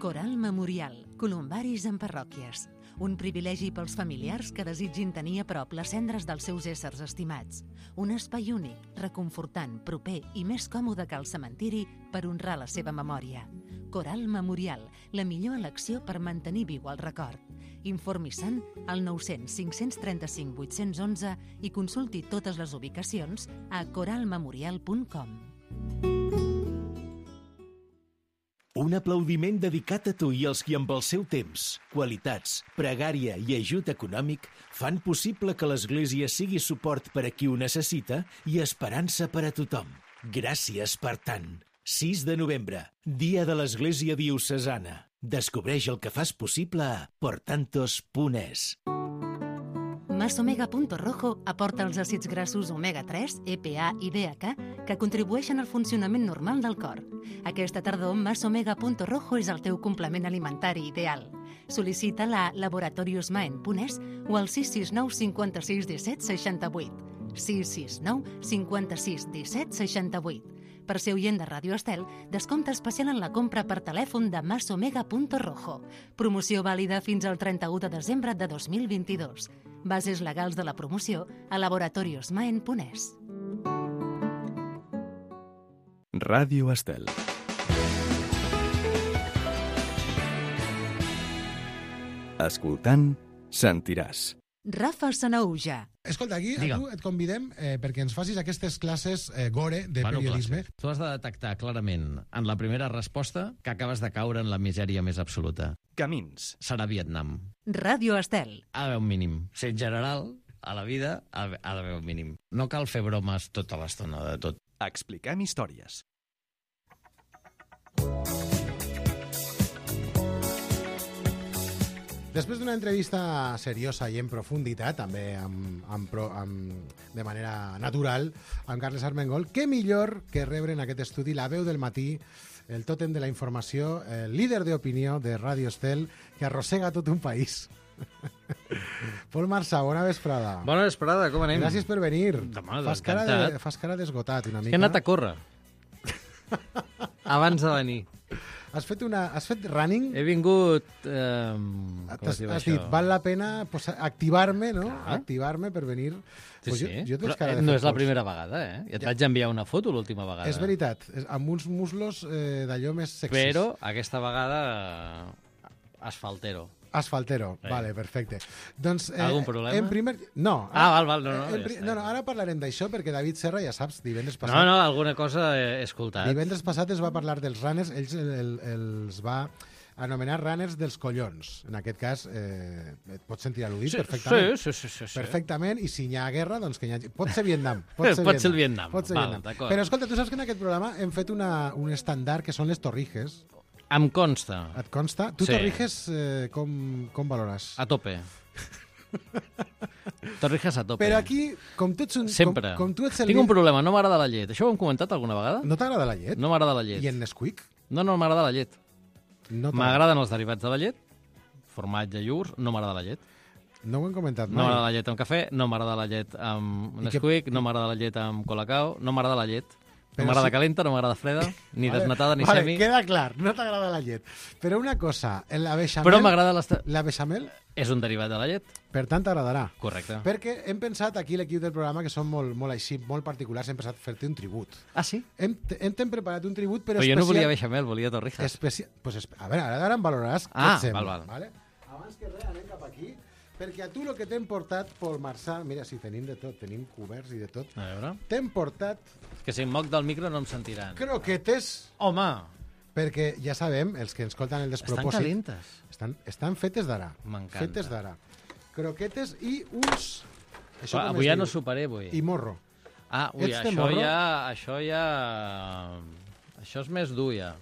Coral Memorial, columbaris en parròquies. Un privilegi pels familiars que desitgin tenir a prop les cendres dels seus éssers estimats. Un espai únic, reconfortant, proper i més còmode que el cementiri per honrar la seva memòria. Coral Memorial, la millor elecció per mantenir viu el record. Informi-se'n al nou cents cinc-cents trenta-cinc vuit-cents onze i consulti totes les ubicacions a coral memorial punt com. Un aplaudiment dedicat a tu i als qui amb el seu temps, qualitats, pregària i ajut econòmic fan possible que l'Església sigui suport per a qui ho necessita i esperança per a tothom. Gràcies per tant. sis de novembre, dia de l'Església Diocesana. Descobreix el que fas possible a portantos punt es. Masomega Punto Rojo aporta els àcids grassos omega tres, E P A i D H A que contribueixen al funcionament normal del cor. Aquesta tardor, Masomega Punto Rojo és el teu complement alimentari ideal. Sol·licita-la a laboratoriosmaen punt es o al sis sis nou cinquanta-sis disset seixanta-vuit. sis sis nou cinquanta-sis disset seixanta-vuit. Per ser oient de Ràdio Estel, descompte especial en la compra per telèfon de Masomega Punto Rojo. Promoció vàlida fins al trenta-u de desembre de dos mil vint-i-dos. Bases legals de la promoció a laboratoriosmaen punt es. Ràdio Estel. Escoltant, sentiràs. Rafa Sanauja. Escolta, aquí a Digue'm. tu et convidem eh, perquè ens facis aquestes classes eh, gore de Bueno, periodisme. classes. Tu has de detectar clarament en la primera resposta que acabes de caure en la misèria més absoluta. Camins. Serà Vietnam. Ràdio Estel. Ha d'haver un mínim. Ser general, a la vida, ha ha d'haver un mínim. No cal fer bromes tota l'estona de tot. Expliquem històries. Després d'una entrevista seriosa i en profunditat, també amb, amb, pro- amb, de manera natural, amb Carles Armengol, què millor que rebre en aquest estudi la veu del matí, el tòtem de la informació, el líder d'opinió de Ràdio Estel, que arrossega tot un país. Pol Marçà, bona vesprada. Bona vesprada, com anem? Gràcies per venir. Demà, Fas cara, encantat. de, fas cara d'esgotat una mica. Que he anat a córrer. Abans de venir. Has fet, una, has fet running? He vingut... Eh, com es Has, diu has això? dit, val la pena pues, activar-me, no? Clar. Activar-me per venir. Sí, Pues sí. jo, jo et veig Però, cara eh, de no fer és la força. primera vegada, eh? Ja et vaig enviar una foto l'última vegada. És veritat, és, amb uns muslos eh, d'allò més sexis. Però aquesta vegada eh, asfaltero. Asfaltero, Eh. vale, perfecte. Doncs, eh, Algun problema? En primer... No. Ah, val, val, no, no, en ja pri- està, no, no, ja. ara parlarem d'això perquè David Serra, ja saps, divendres passat... No, no, alguna cosa he escoltat. Divendres passat es va parlar dels runners, ells el, el, els va anomenar runners dels collons. En aquest cas, eh, et pots sentir al·ludit Sí, perfectament. sí, sí, sí, sí. Perfectament, i si hi ha guerra, doncs que hi hagi... Pot ser Vietnam. Pot ser, Pot ser el Vietnam, Pot ser val, Vietnam. d'acord. Però escolta, tu saps que en aquest programa hem fet una, un estàndard que són les torrijes. Em consta. Et consta? Tu Sí. torrijes eh, com, com valores? A tope. Torrijas a tope. Però aquí, com tu ets un... Sempre. Com, com tu ets el... Tinc un problema, no m'agrada la llet. Això ho hem comentat alguna vegada? No t'agrada la llet? No m'agrada la llet. I en Nesquik? No, no m'agrada la llet. No t'agrada. M'agraden els derivats de la llet, formatge, iogurts, no m'agrada la llet. No ho hem comentat No mai. m'agrada la llet amb cafè, no m'agrada la llet amb I Nesquik, no m'agrada la llet amb Colacao, no m'agrada la llet. Però No m'agrada sí- calenta, no m'agrada freda, ni Vale, desnatada ni vale, semi. queda clar, no t'agrada la llet. Però una cosa, en la beixamel... Però m'agrada l'esta... La beixamel, És un derivat de la llet, per tant, t'agradarà. correcte. Perquè hem pensat aquí, l'equip del programa, que som molt, molt així, molt particulars, hem pensat fer-te un tribut. Ah, sí? Hem, hem t'hem preparat un tribut, però, Però jo no especial... volia beixamel, volia torrijas. Especial... Pues, espe- a veure, ara, ara em valoraràs Ah, què et sembla. val, val. Vale? Abans que res, anem cap aquí, perquè a tu el que t'hem portat, Pol Marçà, mira, si tenim de tot, tenim coberts i de tot, A veure... t'hem portat Que si em moc del micro no em sentiran. croquetes, Home, perquè ja sabem, els que ens escolten el estan despropòsit... calentes. Estan, estan fetes d'ara. M'encanta. Fetes d'ara. Croquetes i uns... Això Però com avui es ja diu? no superé, avui. I morro. Ah, ui, Ets de això morro? ja... Això ja... Això és més dur, ja.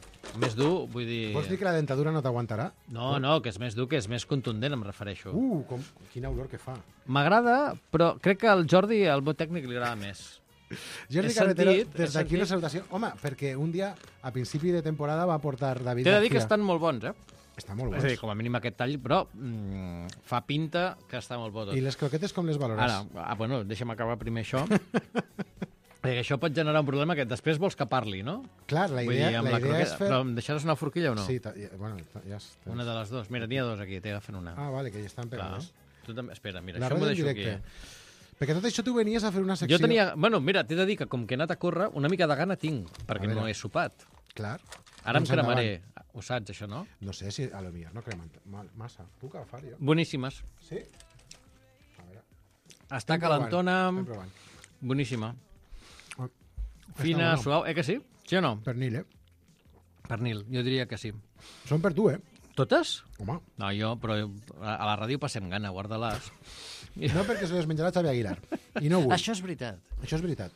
Més dur, vull dir... Vols dir que la dentadura no t'aguantarà? No, no, que és més dur, que és més contundent, em refereixo. Uh, com, quina olor que fa. M'agrada, però crec que al Jordi, al meu tècnic, li agrada més. Jordi He Carretero, sentit, he des d'aquí una sentit. salutació. Home, perquè un dia, a principi de temporada, va portar David T'he de dir que García. estan molt bons, eh? Està molt És a dir, bons. com a mínim aquest tall, però mm, fa pinta que està molt bo tot. I les croquetes com les valores? Ara, ah, bueno, deixa'm acabar primer això. Perquè això pot generar un problema que després vols que parli, no? Clar, la Vull idea, dir, amb la la idea és croqueta... fer... Però em deixaràs una forquilla o no? Sí, ta- ja, bueno, ta- ja està. Una de les dues. Mira, n'hi ha dos aquí, t'he de fer una. Ah, vale, que ja estan Clar. pegades. Tu també... Espera, mira, La això m'ho ràdio en deixo aquí. directe. Eh? Perquè tot això tu venies a fer una secció... Jo tenia... Bueno, mira, t'he de dir que com que he anat a córrer, una mica de gana tinc, perquè A no veure. he sopat. Clar. Ara Doncs em cremaré. endavant. Ho saps, això, no? No sé si a lo millor no cremen mal- massa. Puc agafar jo? Boníssimes. Sí? A veure. Està Estem provant, calentona, estem provant. boníssima. Oh, Fina, està bueno. suau. Eh que sí? Sí o no? Pernil, eh? Pernil, jo diria que sí. Són per tu, eh? Totes? Home, No, jo, però a la ràdio passem gana, guarda-les. no perquè se les menjarà Xavi Aguilar. I no vull. Això és veritat. Això és veritat.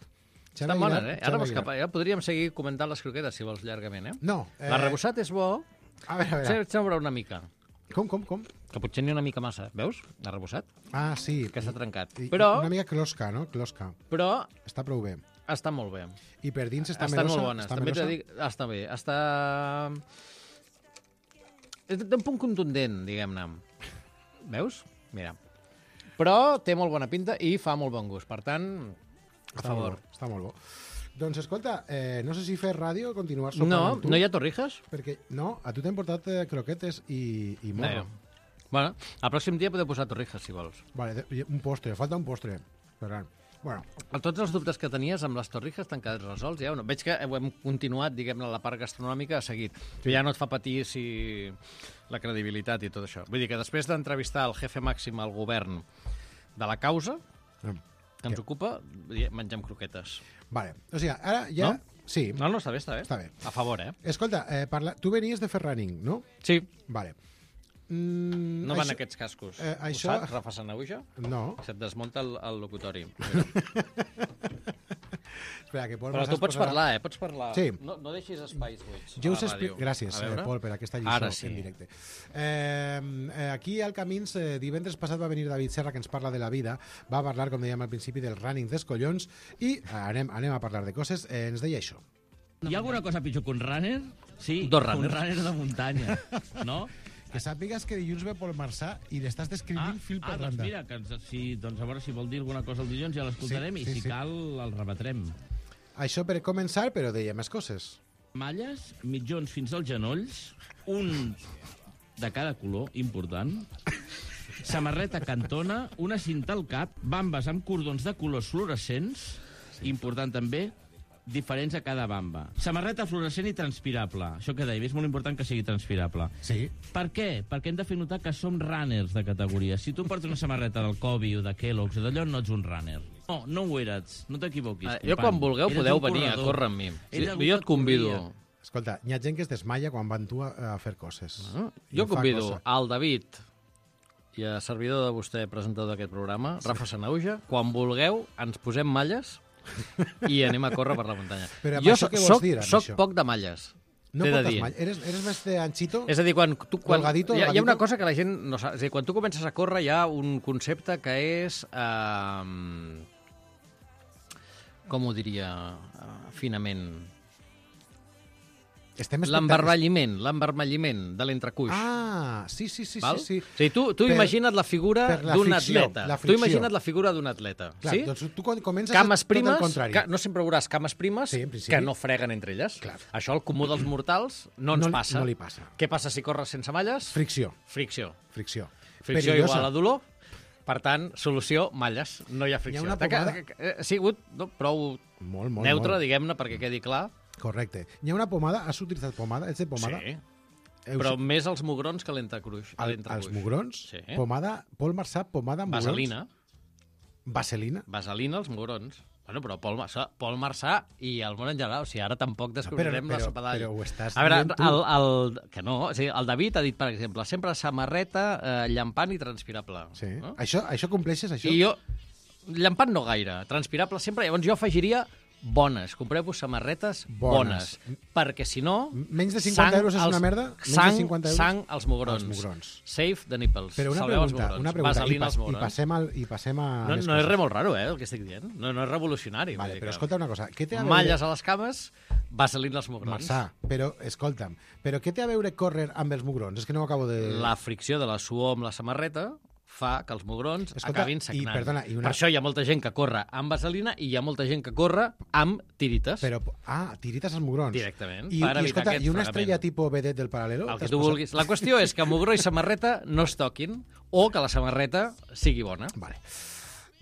Estan bones, eh? Ara, capa... ja podríem seguir comentant les croquetes, si vols, llargament, eh? No. Eh... L'arrebossat és bo. A veure, a veure. Sembra una mica. Com, com, com? Que potser n'hi ha una mica massa. Veus? L'arrebossat. Ah, sí. Que s'ha trencat. I, però... Una mica closca, no? Closca. Però... Està prou bé. Està molt bé. I per dins està Estan melosa? molt bones. Està També melosa? t'he dit... Està bé. Està... Té un punt contundent, diguem-ne. Veus? Mira. Però té molt bona pinta i fa molt bon gust. Per tant, a està favor. Molt bo, està molt bo. Doncs escolta, eh, no sé si fer ràdio o continuar sopant no, amb tu. No hi ha torrijas? Perquè, no, a tu t'hem portat eh, croquetes i, i morro. No. Bueno, el pròxim dia podeu posar torrijas, si vols. Vale, un postre, falta un postre. Ferran. Bueno. Tots els dubtes que tenies amb les torrijas t'han quedat resolts, ja o no? Veig que ho hem continuat, diguem-ne, la part gastronòmica a seguit. Que ja no et fa patir si la credibilitat i tot això. Vull dir que després d'entrevistar el jefe màxim al govern de la causa que ens ocupa, mengem croquetes. Vale, o sigui, ara ja... No? Sí. No, no, està bé, està bé. Està bé. A favor, eh? Escolta, eh, parla... tu venies de fer running, no? Sí. Vale. Mm, no això... van aquests cascos. Eh, Ho això... saps, Rafa Sanauja? No. Se't desmunta el, el locutori. Espera, que Pol Però tu pots posarà... parlar, eh? Pots parlar. Sí. No, no deixis espais buits Jo a us la explico... ràdio. Gràcies, eh, Pol, per aquesta lliçó sí. en directe. Eh, eh, aquí al Camins, eh, divendres passat va venir David Serra, que ens parla de la vida, va parlar, com dèiem al principi, del running dels collons, i anem, anem a parlar de coses. Eh, ens deia això. Hi ha alguna cosa pitjor que un runner? Sí, Dos un runners. runner de muntanya, no? Que sàpigues que dilluns ve Pol Marçà i l'estàs descrivint fil per ah, doncs randa. mira, que ens, sí, doncs a veure si vol dir alguna cosa el dilluns ja l'escoltarem Sí, i sí, si sí. cal el rebatrem. Això per començar, però deia més coses. Malles, mitjons fins als genolls, un de cada color, important, samarreta cantona, una cinta al cap, bambes amb cordons de colors fluorescents, important també, diferents a cada bamba. Samarreta fluorescent i transpirable. Això que dèiem, és molt important que sigui transpirable. Sí. Per què? Perquè hem de fer notar que som runners de categoria. Si tu portes una samarreta del Kobe o de Kellogg's o d'allò, no ets un runner. No, no ho eres. No t'equivoquis. Ah, jo quan vulgueu Eres podeu un venir a corredor. córrer amb mi. Sí, Ell jo et convido. corria. Escolta, hi ha gent que es desmaia quan van tu a, a fer coses. Ah, I jo fa convido cosa. al David i a servidor de vostè, presentador d'aquest programa, sí. Rafa Sanauja, quan vulgueu ens posem malles i anem a córrer per la muntanya. Però amb jo això què vols soc, dir, amb soc això? poc de malles. No t'he de portes dir. mall. Eres, eres més de anchito? És a dir, quan tu... Quan, Colgadito, hi, ha, hi ha holgadito? una cosa que la gent no sap. És a dir, quan tu comences a córrer hi ha un concepte que és... Eh, com ho diria eh, finament? Estem L'embarmelliment, l'embarmelliment de l'entrecuix. Ah, sí, sí, sí, Val? sí, sí. O sigui, tu, tu Per- imagina't la figura per la d'un fricció, atleta. la Tu fricció. imagina't la figura d'un atleta. Clar, sí? doncs tu quan comences Cames és tot primes, el contrari. ca, no sempre veuràs cames primes Sí, en principi. que no freguen entre elles. Clar. Això al comú dels mortals no ens No li- passa. no li passa. Què passa si corres sense malles? Fricció, Fricció. fricció. Fricció Perillosa. igual a dolor. Per tant, solució, malles. No hi ha fricció. Hi ha una T'ha ca- pomada- ca- Ha sigut no, prou Molt, molt, neutre, molt. diguem-ne, perquè quedi clar. Correcte. Hi ha una pomada, has utilitzat pomada? Ets de pomada? Sí. Heus- Però més als mugrons que a l'entrecruix. a Al, l'entrecuix. als mugrons? Sí. Pomada, Pol Marçà, pomada amb mugrons? Vaselina. Vaselina? Vaselina als mugrons. Bueno, però Pol Marçà, Pol Marçà i el món en general, o sigui, ara tampoc descobrirem però- la sopa d'all. però ho estàs A veure, dient tu. el, el, que no, o sigui, el David ha dit, per exemple, sempre samarreta eh, llampant i transpirable. Sí. No? Això, això compleixes, això? I jo, llampant no gaire, transpirable sempre, llavors jo afegiria bones, compreu-vos samarretes bones, Bones. perquè si no... Menys de cinquanta euros és als- una merda? Menys de Sang, cinquanta euros? sang als mugrons. Als mugrons. Save the nipples. Però una Salveu els pregunta, mugrons. una pregunta. I, Vaselina pas, als i, mugrons. passem al, I passem a... No, més no és coses. res molt raro, eh, el que estic dient. No, no és revolucionari. Vale, vull dir però que- escolta una cosa. Què té a veure... Malles a les cames, vaselina als mugrons. Marçà, però, escolta'm, però què té a veure córrer amb els mugrons? És que no ho acabo de... La fricció de la suor amb la samarreta fa que els mugrons Escolta, acabin i, sagnant. perdona, i una- Per això hi ha molta gent que corre amb vaselina i hi ha molta gent que corre amb tirites. Però, ah, tirites als mugrons. Directament, I, per i, evitar escolta, aquest i una fregament. estrella tipus vedet del Paral·lelo? El que T'has tu posat? vulguis. La qüestió és que mugró i samarreta no es toquin o que la samarreta sigui bona. Vale.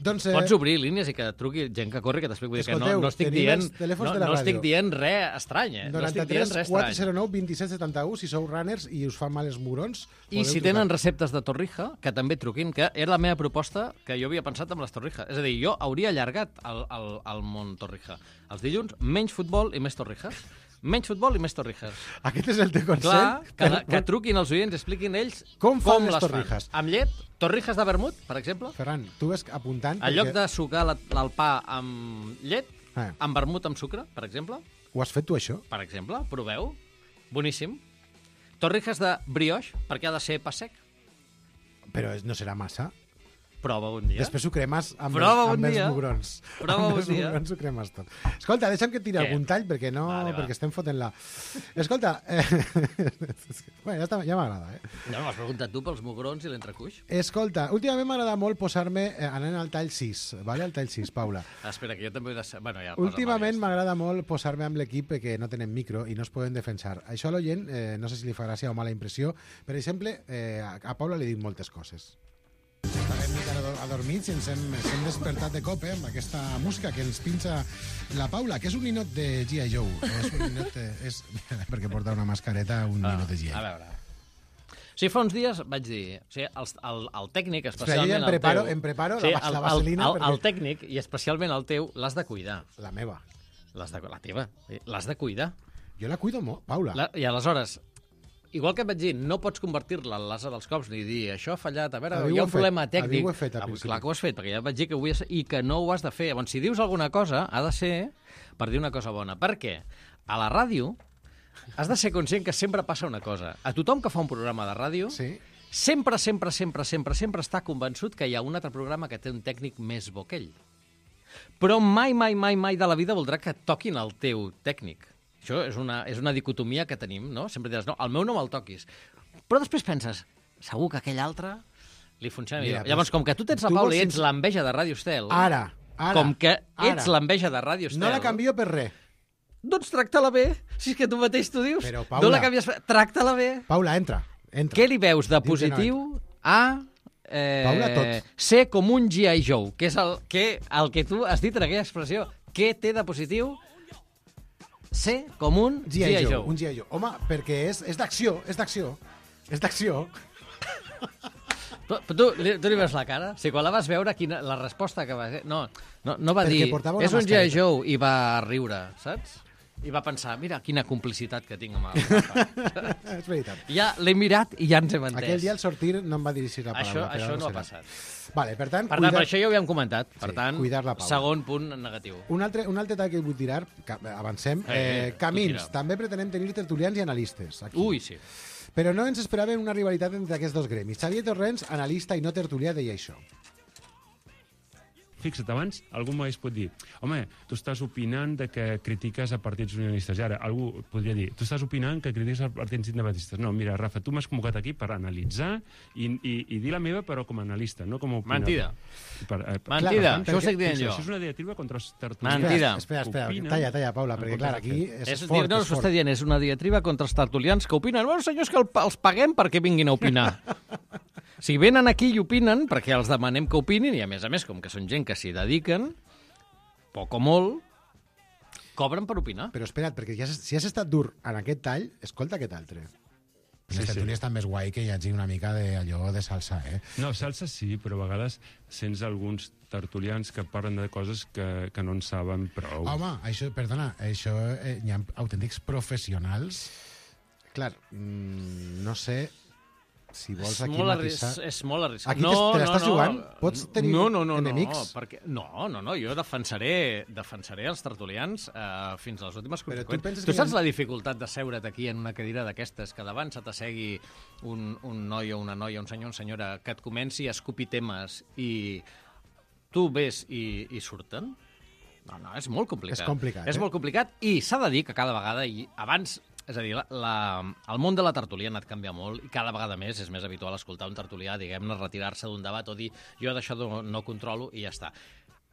Doncs, eh, Pots obrir línies i que et truqui gent que corri, que t'explico. Vull dir que no, Escolteu, no estic tenim dient, els telèfons no, de la no estic ràdio. dient res estrany, eh? No estic dient noranta-tres res quatre estrany. zero nou vint set setanta u, si sou runners i us fan mal els mugrons, I podeu si trucar. tenen receptes de torrija, que també truquin, que era la meva proposta que jo havia pensat amb les torrijas. És a dir, jo hauria allargat el, el, el món torrija. Els dilluns, menys futbol i més torrijas. Menys futbol i més torrijas. Aquest és el teu consell? Clar, que, Per- que truquin els oients i expliquin ells Com fan les les torrijas? Fan. Amb llet, torrijas de vermut, per exemple. Ferran, tu ves apuntant... En lloc perquè- de sucar la, el pa amb llet, Ah. amb vermut amb sucre, per exemple. Ho has fet tu, això? Per exemple, proveu. Boníssim. Torrijas de brioche, perquè ha de ser pa sec. Però no serà massa. Prova un dia. Després ho cremes amb, Prova els, un amb els dia. mugrons. Prova amb un els dia. mugrons ho cremes tot. Escolta, deixa'm que et tiri Què? algun tall, perquè no, Vale, va. perquè estem fotent-la. Escolta, eh... bueno, ja, està, ja m'agrada, eh? No, m'has preguntat tu pels mugrons i l'entrecuix? Escolta, últimament m'agrada molt posar-me, eh, anant al tall sis, vale? Al tall sis, Paula. Ah, espera, que jo també he de ser... Bueno, ja, Últimament m'agrada molt posar-me amb l'equip que no tenen micro i no es poden defensar. Això a l'oient, eh, no sé si li fa gràcia o mala impressió. Per exemple, eh, a, a Paula li dic moltes coses. Estàvem mica adormits i ens hem, ens hem despertat de cop eh, amb aquesta música que ens pinxa la Paula, que és un ninot de G I. Joe. És un ninot de, és, perquè porta una mascareta, un Ah, ninot de G I. a veure. Sí, fa uns dies vaig dir... O sigui, el, el, el tècnic, Espera, jo especialment ja em preparo, el teu... em preparo sí, la, el, la vaselina. el, el, perquè... el tècnic, i especialment el teu, l'has de cuidar. La meva. L'has de, la teva. L'has de cuidar. Jo la cuido molt, Paula. La, I aleshores, igual que et vaig dir, no pots convertir-la en l'asa dels cops ni dir això ha fallat, a veure, Avui hi ho ha un he fet, problema avui tècnic. ho he fet, al Avui, principi. clar que ho has fet, perquè ja et vaig dir que ho havies... i que no ho has de fer. Llavors, si dius alguna cosa, ha de ser per dir una cosa bona. Per què? A la ràdio has de ser conscient que sempre passa una cosa. A tothom que fa un programa de ràdio, Sí. sempre, sempre, sempre, sempre, sempre està convençut que hi ha un altre programa que té un tècnic més bo que ell. Però mai, mai, mai, mai de la vida voldrà que toquin el teu tècnic. Això és una, és una dicotomia que tenim, no? Sempre diràs, no, el meu no me'l toquis. Però després penses, segur que aquell altre li funciona Mira, millor. doncs, Llavors, com que tu tens la tu Paula vols i ets sens- l'enveja de Radio Estel, Ara, ara. com que ets ara. l'enveja de Radio Estel... No la canvio per res. Doncs tracta-la bé, si és que tu mateix t'ho dius. Però, no Paula- la canvies, tracta-la bé. Paula, entra. entra. Què li veus de Diu que no positiu a eh, Paula, tot. ser com un G I. Joe, que és el que, el que tu has dit en aquella expressió? Què té de positiu ser com un G I. Joe, un G I. Joe. Home, perquè és, és d'acció, és d'acció. És d'acció. Tu, tu, li, tu li veus la cara? Si quan la vas veure, quina, la resposta que va... No, no, no va Perquè dir, portava una és un G I. mascareta. Joe, i va riure, saps? I va pensar, mira, quina complicitat que tinc amb el Rafa. És veritat. Ja l'he mirat i ja ens hem entès. Aquell dia al sortir no em va dirigir la Això, paraula. però això ara no ha serà. passat. Vale, per tant, Per tant, per això ja ho havíem comentat. Per Sí, tant, cuidar la Paula. segon punt negatiu. Un altre, un altre tall que vull tirar, que avancem, Eh, eh, tu camins. tira. També pretenem tenir tertulians i analistes. Aquí. Ui, sí. Però no ens esperàvem una rivalitat entre aquests dos gremis. Xavier Torrents, analista i no tertulià, deia això. Fixa't, abans algú m'hagués pot dir home, tu estàs opinant de que critiques a partits unionistes. I ara algú podria dir tu estàs opinant que critiques a partits independentistes. No, mira, Rafa, tu m'has convocat aquí per analitzar i, i, i dir la meva, però com a analista, no com a opinador. Mentida. Per, eh, per, Mentida, per tant, això ho estic dient fixa, jo. Això és una diatriba contra els tertulians. Mentida. Espera, espera, Opinen talla, talla, Paula, en perquè comptes clar, de aquí fer. és, És, fort, no, és s'ho fort. està dient, és una diatriba contra els tertulians que opinen. Bueno, senyors, que el, els paguem perquè vinguin a opinar. Si venen aquí i opinen, perquè els demanem que opinin, i a més a més, com que són gent que s'hi dediquen, poc o molt, cobren per opinar. Però espera't, perquè ja, has- si has estat dur en aquest tall, escolta aquest altre. Sí, Les sí. tertúlies estan més guai que hi hagi una mica d'allò de salsa, eh? No, salsa sí, però a vegades sents alguns tertulians que parlen de coses que, que no en saben prou. Home, això, perdona, això eh, hi ha autèntics professionals. Clar, mm, no sé si vols És aquí molt, matisar... arris és molt arriscat. Aquí te- te l'estàs jugant? Pots tenir no, no, no, enemics? No, perquè, no, no, no, jo defensaré, defensaré els tertulians eh, fins a les últimes Però tu conseqüències. penses Tu, que hi ha- saps la dificultat de seure't aquí en una cadira d'aquestes, que davant se t'assegui un, un noi o una noia, un senyor o una senyora, que et comenci a escopir temes i tu ves i, i surten? No, no, és molt complicat. És complicat, És eh? molt complicat i s'ha de dir que cada vegada, i abans, és a dir, la, la, el món de la tertúlia ha anat canviant molt i cada vegada més és més habitual escoltar un tertulià, diguem-ne, retirar-se d'un debat o dir jo d'això no, no controlo i ja està.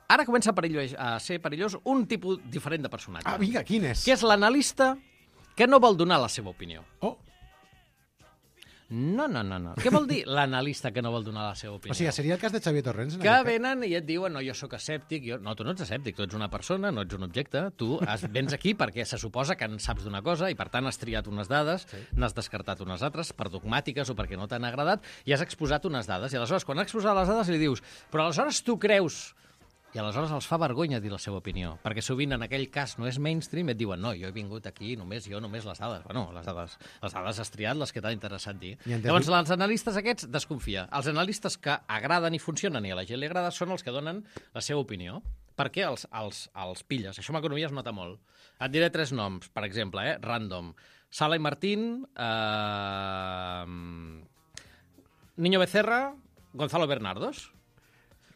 Ara comença a, perillós, a ser perillós un tipus diferent de personatge. Ah, vinga, quin és? Que és l'analista que no vol donar la seva opinió. Oh. No, no, no, no. Què vol dir l'analista que no vol donar la seva opinió? O sigui, seria el cas de Xavier Torrents? en Que aquest cas? venen i et diuen, no, jo sóc escèptic. Jo... No, tu no ets escèptic, tu ets una persona, no ets un objecte. Tu has, vens aquí perquè se suposa que en saps d'una cosa i, per tant, has triat unes dades, sí. n'has descartat unes altres per dogmàtiques o perquè no t'han agradat i has exposat unes dades. I aleshores, quan has exposat les dades, li dius, però aleshores tu creus... I aleshores els fa vergonya dir la seva opinió, perquè sovint en aquell cas no és mainstream i et diuen, no, jo he vingut aquí, només jo, només les dades. Bueno, les dades, les dades has triat, les que t'ha interessat dir. I en Llavors, definitiva- els analistes aquests, desconfia. Els analistes que agraden i funcionen i a la gent li agrada són els que donen la seva opinió. per què els, els, els pilles? Això en economia es nota molt. Et diré tres noms, per exemple, eh? Random. Sala i Martín, eh... Niño Becerra, Gonzalo Bernardos.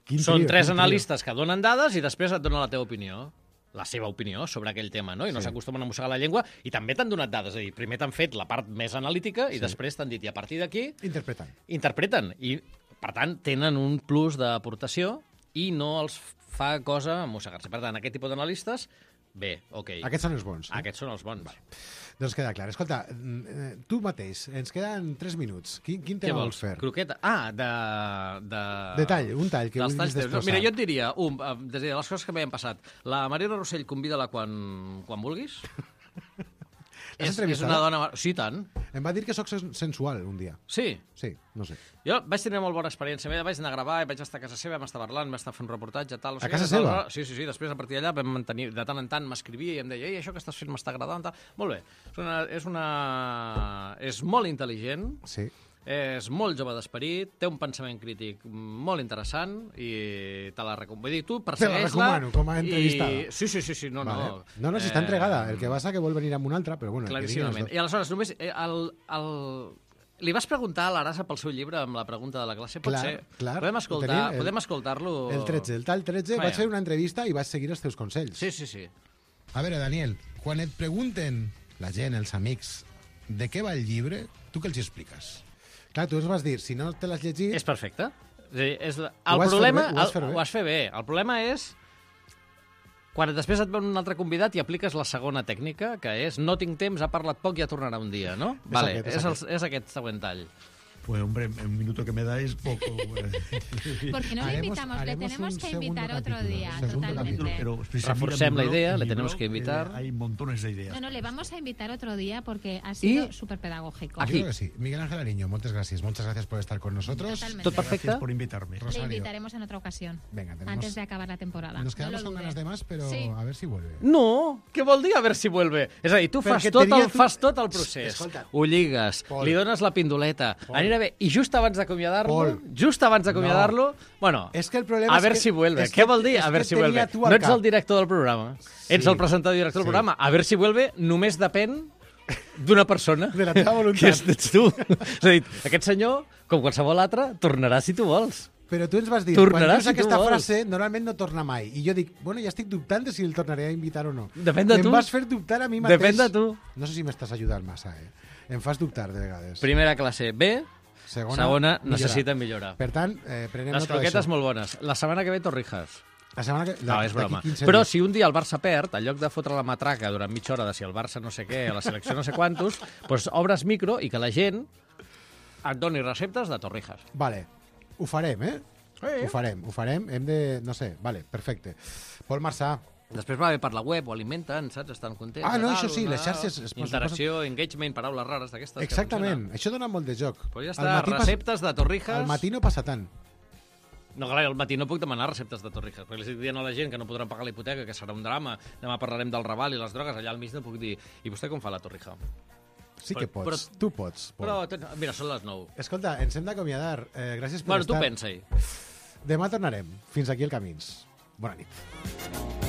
Quin Són trio, tres quin analistes que donen dades i després et donen la teva opinió. La seva opinió sobre aquell tema, no? I no Sí. s'acostumen a mossegar la llengua i també t'han donat dades. És a dir, primer t'han fet la part més analítica i Sí. després t'han dit, i a partir d'aquí... Interpretant. Interpreten. I, per tant, tenen un plus d'aportació i no els fa cosa mossegar-se. Per tant, aquest tipus d'analistes, bé, ok. Aquests són els bons. No? Aquests són els bons. Vale. Doncs queda clar. Escolta, eh, tu mateix, ens queden tres minuts. Quin, quin Què tema vols? vols fer? Croqueta? Ah, de... de... De tall, un tall que Dels vulguis talls teus. destrossar. Mira, jo et diria, un, eh, des de les coses que m'havien passat. La Mariona Rossell, convida-la quan, quan vulguis. és, és entrevistada? una dona... Sí, tant. Em va dir que sóc sen- sensual un dia. Sí. Sí, no sé. Jo vaig tenir molt bona experiència. Vaig anar a gravar, i vaig estar a casa seva, vam estar parlant, vam estar fent un reportatge, tal. No sé A què, casa tal, seva? tal. Sí, sí, sí. Després, a partir d'allà, vam mantenir... De tant en tant m'escrivia i em deia, ei, això que estàs fent m'està agradant, tal. Molt bé. És una... És, una... és molt intel·ligent. Sí. És molt jove d'esperit, té un pensament crític molt interessant i te la recomano. Vull dir, tu persegueix-la... Te la recomano, com a entrevistada. I... Sí, sí, sí, sí, no, Vale. no. No, no, si està entregada. El que passa que vol venir amb una altra, però bueno... que diguin els Claríssimament. dos. I aleshores, només... eh, El, el... Li vas preguntar a l'Arasa pel seu llibre amb la pregunta de la classe? Pot Clar, ser? clar. Podem Ho escoltar, tenim, el- podem escoltar-lo... El tretze, el tall tretze, Vaja. vaig fer una entrevista i vaig seguir els teus consells. Sí, sí, sí. A veure, Daniel, quan et pregunten la gent, els amics, de què va el llibre, tu què els expliques? Clar, tu ens vas dir, si no te l'has llegit... És perfecte. És a dir, és la... Ho El vas fer problema... bé, ho vas fer el, bé. ho vas fer bé. El problema és quan després et ve un altre convidat i apliques la segona tècnica, que és no tinc temps, ha parlat poc i ja tornarà un dia, no? És vale, aquest, és és, el, aquest. és aquest següent tall. Pues hombre, un minuto que me dais poco. ¿Por qué no le invitamos? Le tenemos que invitar otro día, totalmente. Pero si se Reforcem mira la mi idea, blog, le mi tenemos blog, que invitar. eh, hay montones de ideas. No, no, le vamos a invitar otro día porque ha sido Y- súper pedagógico. Ah, Yo creo que sí. Miguel Ángel Ariño, muchas gracias. Muchas gracias por estar con nosotros. Totalmente. Tot perfecte? Gracias por invitarme. Le Rosario. invitaremos en otra ocasión, Venga, tenemos... antes de acabar la temporada. Nos quedamos No lo con dude. ganas de más, pero Sí. a ver si vuelve. No! Què vol dir a veure si vuelve? És a dir, tu fas Perquè tot, tenia el, tu- fas tot el procés. Escolta. Ho lligues, Pol. li dones la pindoleta, Pol. anirà bé. I just abans d'acomiadar-lo, Pol. just abans d'acomiadar-lo, bueno, És que el problema a és veure que- si vuelve. és Què que- vol dir és a veure que si tenia vuelve? tu al No ets cap. el director del programa. Ets Sí. el presentador i director Sí. del programa. A veure si vuelve només depèn d'una persona. De la teva voluntat. Que és- ets tu. És a dir, aquest senyor, com qualsevol altre, tornarà si tu vols. Però tu ens vas dir, Tornarà quan dius si tu aquesta vols. frase, normalment no torna mai. I jo dic, bueno, ja estic dubtant de si el tornaré a invitar o no. Depèn de I tu. em vas fer dubtar a mi mateix. Depèn de tu. No sé si m'estàs ajudant massa, eh? Em fas dubtar de vegades. Primera classe B, Segona, segona millorar. necessita millorar. Per tant, eh, prenem Les nota d'això. croquetes molt bones. La setmana que ve Torrijas. La setmana que... No, la- és d'aquí broma. quinze Però dies. si un dia el Barça perd, en lloc de fotre la matraca durant mitja hora de si el Barça no sé què, a la selecció no sé quantos, doncs obres micro i que la gent et doni receptes de Torrijas. Vale, ho farem, eh? Sí. Ho farem, ho farem. Hem de... No sé, vale, perfecte. Pol Marçà. Després va bé per la web, ho alimenten, saps? Estan contents. Ah, no, tal, això sí, una- les xarxes es posen- Interacció, engagement, paraules rares d'aquestes. que Exactament, funcionen. això dona molt de joc. Pues ja Al està, matí pas- receptes de Torrijas. Al matí no passa tant. No, clar, al matí no puc demanar receptes de Torrijas, perquè li estic dient a la gent que no podran pagar la hipoteca, que serà un drama, demà parlarem del Raval i les drogues, allà al mig no puc dir, i vostè com fa la Torrija? Sí que Però- pots, però- tu pots. Pol. Però, tens- mira, són les nou. Escolta, ens hem d'acomiadar. Eh, gràcies per Bueno, tu estar. pensa-hi. Demà tornarem. Fins aquí el Camins. Bona nit.